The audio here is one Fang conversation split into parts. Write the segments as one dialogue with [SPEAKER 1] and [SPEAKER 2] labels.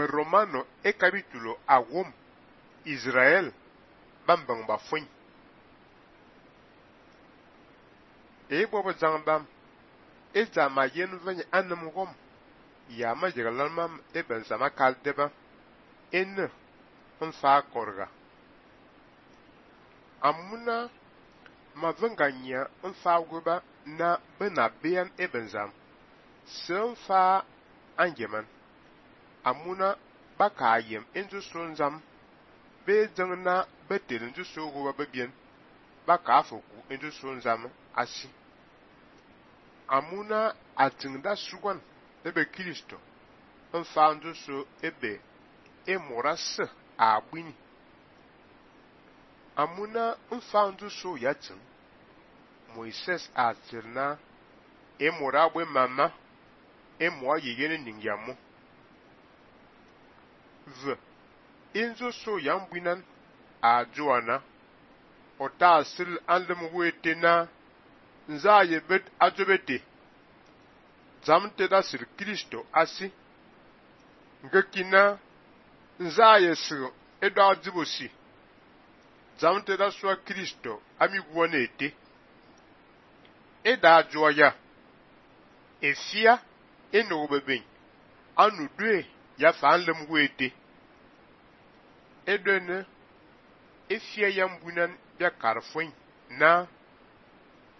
[SPEAKER 1] Romano e capítulo awom Israel bambang ba fun. E bobo zangbam e zama yen vany anam gom ya ma jiglalmam e ben sama kaldeba en fa korga amuna ma venganya fa goba na benabian e benzam sen fa angeman amuna bakayem enju sonzam be jangna betel enju sogo ba bien baka foku enju sonzam asi amuna atingda sugan ebe Kristo fa enju so ebe e moras abini amuna fa enju so yatin Moises atirna e morabwe mama e moa yegene ningyamo inzo so yambinan a joana ota asil andem wetena nza yebet ajobete zamte da sir Kristo asi ngekina nza yesu edo ajibosi zamte da so Kristo ami gwonete eda joya efia eno beben anu dwe ya fanlem wete edene efia yambunan ya karfin na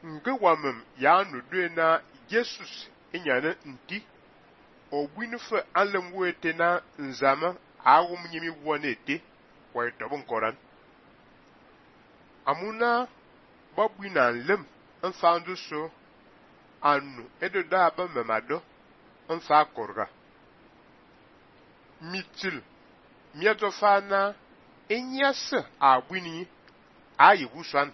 [SPEAKER 1] ngewamem ya anu dwe na Jesus enyane nti obwinfe alem wete na nzama awum nyimi wonete wa itobun koran amuna babwina lem nfandu so anu edo da ba memado nfa korga mitil miato fana enyase abwini ayigusan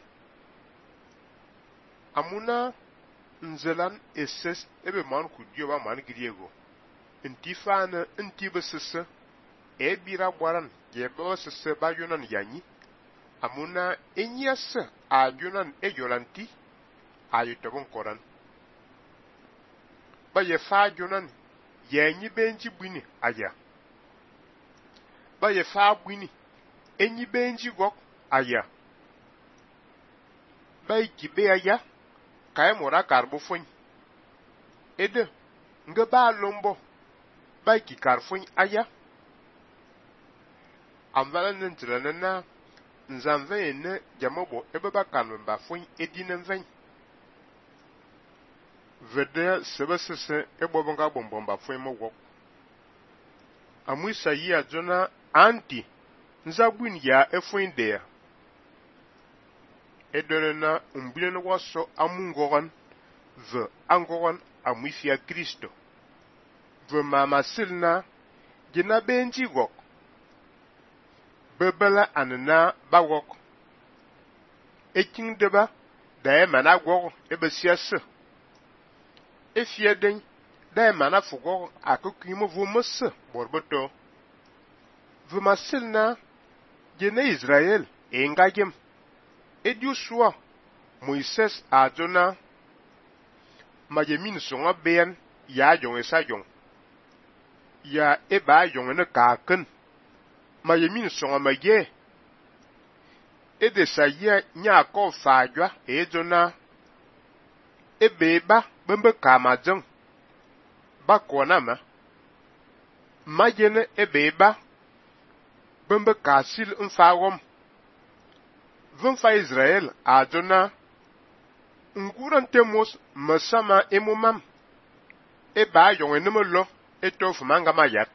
[SPEAKER 1] amuna nzelan eses ebe man kudio ba man griego intifana intibesese ebira gwaran yebo sese ba yonan yanyi amuna enyase ayonan eyolanti ayitobon koran ba ye fa jonan yenyi benji bwini aya ba ye fa bwini enyi benji gok aya ba ikibe aya kay mora karbo fun ede nga ba lombo ba ki karfun aya amvala ntilana na nzanve ne jamobo ebe ba kanun ba fun edinen ven vede sebesese ebobonga bombomba fun mo wok amuisa yi ajona anti nzabwin ya efun de edona umbileno waso amungoran ve angoran amuisia Kristo ve mama silna gina benji gok bebela anna bawok eking deba da mana gok ebesiase efieden da mana fugo akukimo vumus borboto vumasilna gina Israel engagem ediuswa Moises adona majemin songa ben ya jong esajong ya eba jong ne kaken majemin songa maye edesaya nya ko fajwa ejona ebeba bembe kamajong bakona ma majene ebeba bembe kasil mfawom vunfa Israel adona nguran temos masama emumam eba yong enemelo etof manga mayat